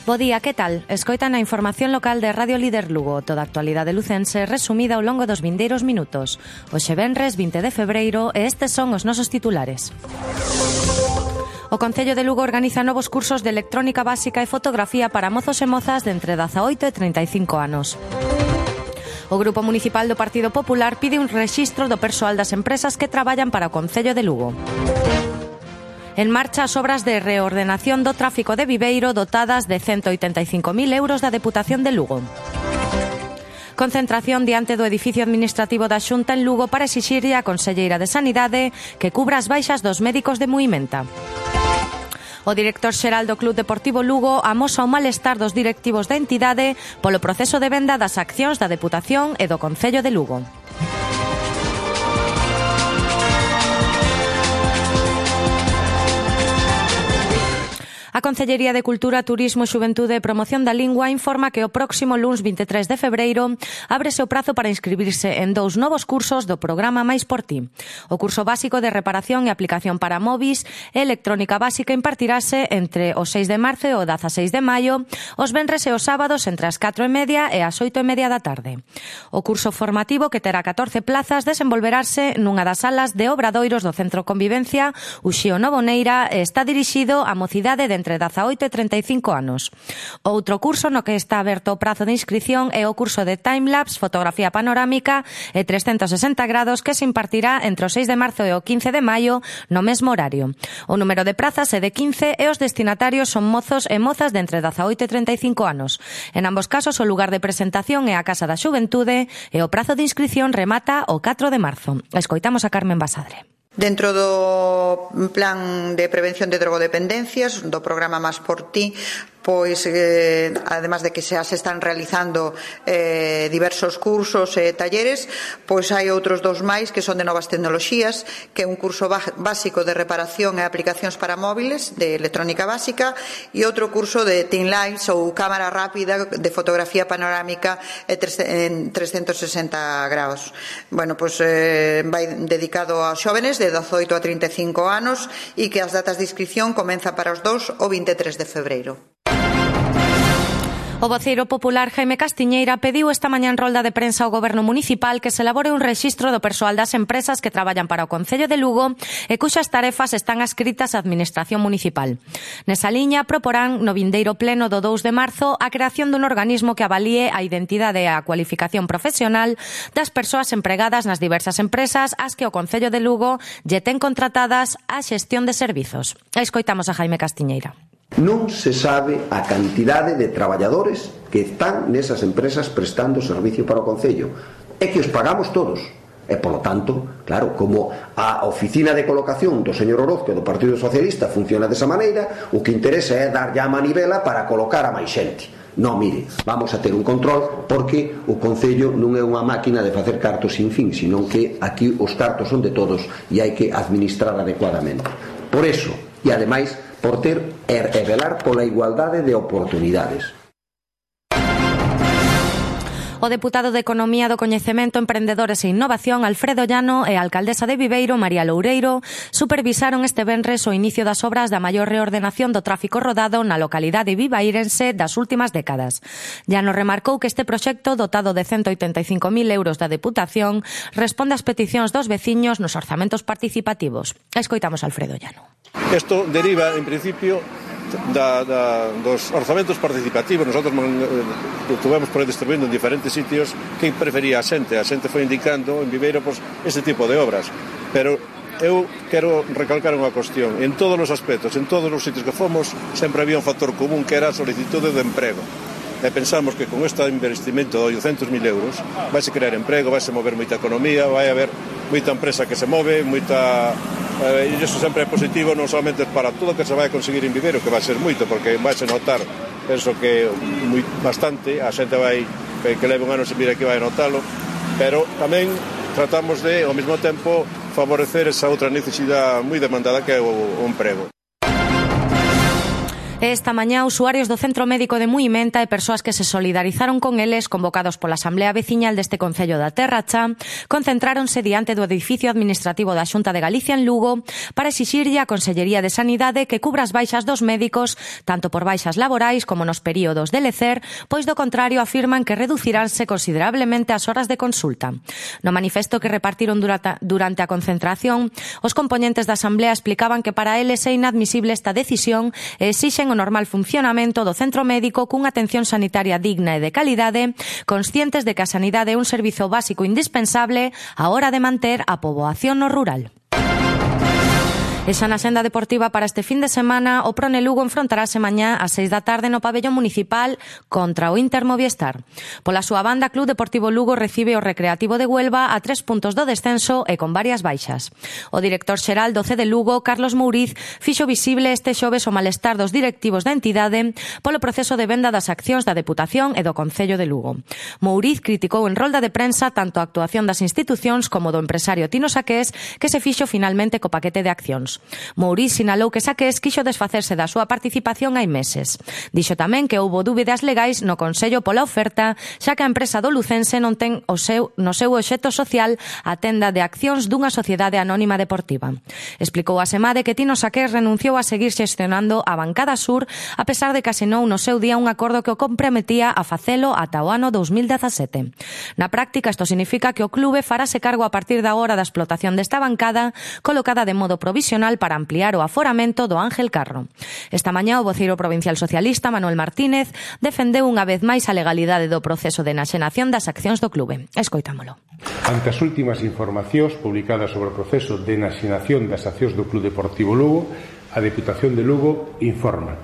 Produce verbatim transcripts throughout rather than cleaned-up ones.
Bo día, que tal? Escoitan a información local de Radio Líder Lugo, toda a actualidade lucense resumida ao longo dos vindeiros minutos. Hoxe venres vinte de febreiro e estes son os nosos titulares. O Concello de Lugo organiza novos cursos de electrónica básica e fotografía para mozos e mozas de entre dezaoito e treinta e cinco anos. O Grupo Municipal do Partido Popular pide un rexistro do persoal das empresas que traballan para o Concello de Lugo. En marcha as obras de reordenación do tráfico de Viveiro dotadas de ciento oitenta e cinco mil euros da Deputación de Lugo. Concentración diante do edificio administrativo da Xunta en Lugo para exixirlle á Conselleira de Sanidade que cubra as baixas dos médicos de Muimenta. O director xeral do Club Deportivo Lugo amosa o malestar dos directivos da entidade polo proceso de venda das accións da Deputación e do Concello de Lugo. A Concellería de Cultura, Turismo, Xuventude e Promoción da Lingua informa que o próximo luns vinte e tres de febreiro ábrese o prazo para inscribirse en dous novos cursos do programa Mais por Ti. O curso básico de reparación e aplicación para móviles e electrónica básica impartirase entre o seis de marzo e o dezaseis de maio, os venres e os sábados entre as catro e media e as oito e media da tarde. O curso formativo, que terá catorce plazas, desenvolverase nunha das salas de obradoiros do Centro Convivencia Uxío Novoneira e está dirixido á mocidade de entre dezaoito e treinta e cinco anos. Outro curso no que está aberto o prazo de inscrición é o curso de Timelapse, fotografía panorámica e trescentos sesenta grados que se impartirá entre o seis de marzo e o quince de maio no mesmo horario. O número de prazas é de quince e os destinatarios son mozos e mozas de entre dezaoito e treinta e cinco anos. En ambos casos o lugar de presentación é a Casa da Xuventude e o prazo de inscrición remata o catro de marzo. Escoitamos a Carmen Basadre. Dentro do plan de prevención de drogodependencias do programa Más por Ti, pois, eh, además de que xa se están realizando eh, diversos cursos e talleres, pois hai outros dous máis que son de novas tecnoloxías, que é un curso básico de reparación e aplicacións para móviles de electrónica básica e outro curso de Teen Lights ou cámara rápida de fotografía panorámica en trescentos sesenta grados. Bueno, pois eh, vai dedicado aos xóvenes de dezaoito a trinta e cinco anos e que as datas de inscripción comenzan para os dous o vinte e tres de febreiro. O voceiro popular Jaime Castiñeira pediu esta mañá en rolda de prensa ao Goberno Municipal que se elabore un rexistro do persoal das empresas que traballan para o Concello de Lugo e cuxas tarefas están adscritas á Administración Municipal. Nesa liña, proporán no vindeiro pleno do dous de marzo a creación dun organismo que avalíe a identidade e a cualificación profesional das persoas empregadas nas diversas empresas ás que o Concello de Lugo lle ten contratadas a xestión de servizos. Escoitamos a Jaime Castiñeira. Non se sabe a cantidade de traballadores que están nesas empresas prestando servicio para o Concello e que os pagamos todos e, polo tanto, claro, como a oficina de colocación do señor Orozco do Partido Socialista funciona desa maneira, o que interesa é dar ya a manivela para colocar a máis xente. Non, mire, vamos a ter un control porque o Concello non é unha máquina de facer cartos sin fin, sino que aquí os cartos son de todos e hai que administrar adecuadamente. Por eso, e ademais por ter e velar pola igualdade de oportunidades. O deputado de Economía do Coñecemento, Emprendedores e Innovación, Alfredo Llano, e a alcaldesa de Viveiro, María Loureiro, supervisaron este venres o inicio das obras da maior reordenación do tráfico rodado na localidade vivairense das últimas décadas. Llano remarcou que este proxecto, dotado de ciento oitenta e cinco mil euros da Deputación, responde ás peticións dos veciños nos orzamentos participativos. Escoitamos a Alfredo Llano. Isto deriva, en principio, da, da, dos orzamentos participativos. Nosotros eh, tuvemos por aí distribuindo en diferentes sitios que prefería a xente. A xente foi indicando en Viveiro pues, ese tipo de obras. Pero eu quero recalcar unha cuestión. En todos os aspectos, en todos os sitios que fomos, sempre había un factor común que era a solicitude de emprego. E pensamos que con este investimento de oitocentos mil euros vai se crear emprego, vai se mover moita economía, vai haber moita empresa que se move, moita... Eh, e iso sempre é positivo non solamente para todo o que se vai a conseguir en Viveiro, que vai ser moito, porque vai se notar, penso que moi, bastante, a xente vai que, que leve un ano se mira que vai a notalo, pero tamén tratamos de, ao mesmo tempo, favorecer esa outra necesidade moi demandada que é o, o emprego. Esta mañá, usuarios do Centro Médico de Muimenta e persoas que se solidarizaron con eles, convocados pola Asamblea Veciñal deste Concello da Terra Cha, concentráronse diante do edificio administrativo da Xunta de Galicia en Lugo para exixirlle á Consellería de Sanidade que cubra as baixas dos médicos, tanto por baixas laborais como nos períodos de lecer, pois do contrario afirman que reduciránse considerablemente as horas de consulta. No manifesto que repartiron durante, durante a concentración, os componentes da Asamblea explicaban que para eles é inadmisible esta decisión e exixen o normal funcionamento do centro médico cunha atención sanitaria digna e de calidade, conscientes de que a sanidade é un servizo básico indispensable á hora de manter a poboación no rural. E xa na senda deportiva para este fin de semana, o Prone Lugo enfrontarase mañá ás seis da tarde no pabellón municipal contra o Inter Movistar. Pola súa banda, Club Deportivo Lugo recibe o Recreativo de Huelva a tres puntos do descenso e con varias baixas. O director xeral do C de Lugo, Carlos Mouriz, fixo visible este xoves o malestar dos directivos da entidade polo proceso de venda das accións da Deputación e do Concello de Lugo. Mouriz criticou en rolda de prensa tanto a actuación das institucións como do empresario Tino Saqués, que se fixo finalmente co paquete de accións. Mouriz sinalou que Saqués quixo desfacerse da súa participación hai meses. Dixo tamén que houbo dúbidas legais no Consello pola oferta, xa que a empresa do lucense non ten o seu, no seu obxecto social a tenda de accións dunha sociedade anónima deportiva. Explicou a Semade que Tino Saqués renunciou a seguir xestionando a bancada sur a pesar de que asinou no seu día un acordo que o comprometía a facelo ata o ano dous mil dezasete. Na práctica, isto significa que o clube farase cargo a partir da hora da explotación desta bancada, colocada de modo provisional para ampliar o aforamento do Ángel Carro. Esta mañá o voceiro provincial socialista Manuel Martínez defendeu unha vez máis a legalidade do proceso de enaxenación das accións do clube. Escoitámolo. Ante as últimas informacións publicadas sobre o proceso de enaxenación das accións do Club Deportivo Lugo, a Deputación de Lugo informa: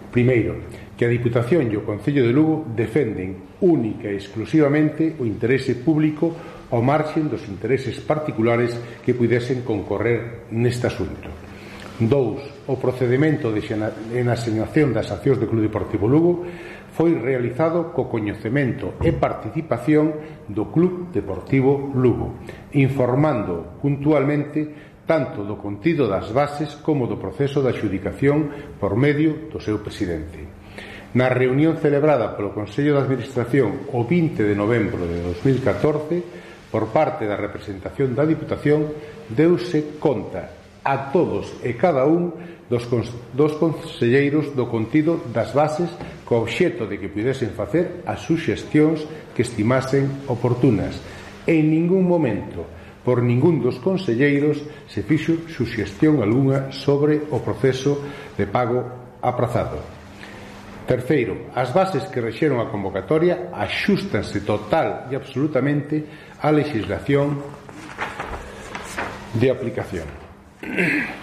primeiro, que a Diputación e o Concello de Lugo defenden única e exclusivamente o interese público ao marxen dos intereses particulares que pudesen concorrer neste asunto. Dous, o procedimento de enaxenación das accións do Club Deportivo Lugo foi realizado co coñecemento e participación do Club Deportivo Lugo, informando puntualmente tanto do contido das bases como do proceso de adxudicación por medio do seu presidente. Na reunión celebrada polo Consello de Administración o vinte de novembro de dos mil catorce, por parte da representación da Diputación, deuse conta a todos e cada un dos, dos conselleiros do contido das bases co obxeto de que pudesen facer as suxestións que estimasen oportunas. En ningún momento, por ningún dos conselleiros, se fixo suxestión algunha sobre o proceso de pago aprazado. Terceiro, as bases que rexeron a convocatoria axústanse total e absolutamente á legislación de aplicación.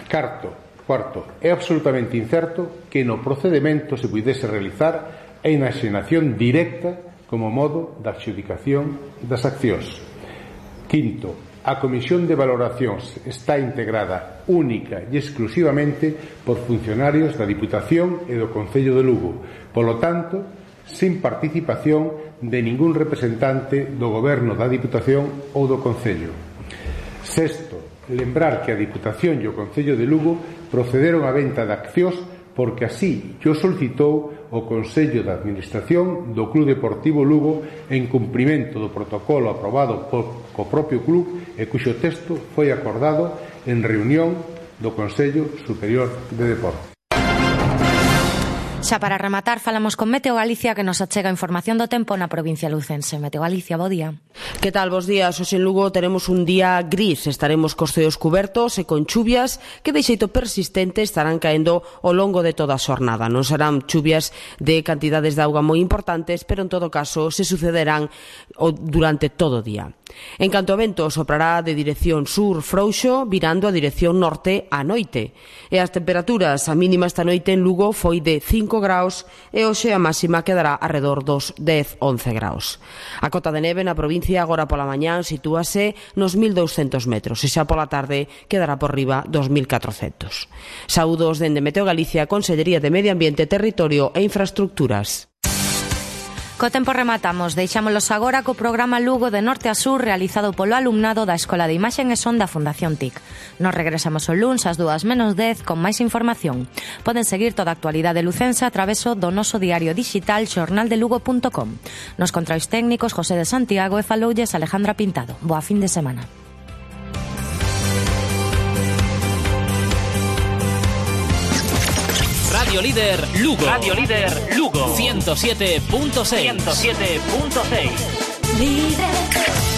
Carto, cuarto, é absolutamente incerto que no procedimento se pudese realizar a enaxenación directa como modo de adxudicación das accións. Quinto, a Comisión de Valoracións está integrada única e exclusivamente por funcionarios da Diputación e do Concello de Lugo, polo tanto, sin participación de ningún representante do Goberno da Diputación ou do Concello. Sexto, lembrar que a Diputación e o Concello de Lugo procederon á venta de accións porque así o solicitou o Consello de Administración do Club Deportivo Lugo en cumprimento do protocolo aprobado por, co propio club e cuxo texto foi acordado en reunión do Consello Superior de Deportes. Xa para rematar, falamos con Meteo Galicia que nos achega información do tempo na provincia lucense. Meteo Galicia, bo día. Que tal, bos días? Hoxe en Lugo teremos un día gris. Estaremos cos ceos cubertos e con chuvias que de xeito persistente estarán caendo ao longo de toda a xornada. Non serán chuvias de cantidades de auga moi importantes, pero en todo caso se sucederán durante todo o día. En canto ao vento, soprará de dirección sur frouxo, virando a dirección norte á noite. E as temperaturas, a mínima esta noite en Lugo foi de cinco graus e hoxe a máxima quedará arredor dos dez a once graus. A cota de neve na provincia agora pola mañán sitúase nos mil douscentos metros e xa pola tarde quedará por riba dos mil catrocentos. Saúdos dende Meteo Galicia, Consellería de Medio Ambiente, Territorio e Infraestructuras. Co tempo rematamos, deixámolos agora co programa Lugo de Norte a Sur realizado polo alumnado da Escola de Imaxe e Son da Fundación T I C. Nos regresamos o luns ás dúas menos dez con máis información. Poden seguir toda a actualidade lucense a traveso do noso diario digital xornaldelugo punto com. Nos controis técnicos José de Santiago e faloulles Alejandra Pintado. Boa fin de semana. Radio Líder Lugo. Radio Líder Lugo. ciento siete punto seis. ciento siete punto seis. Líder.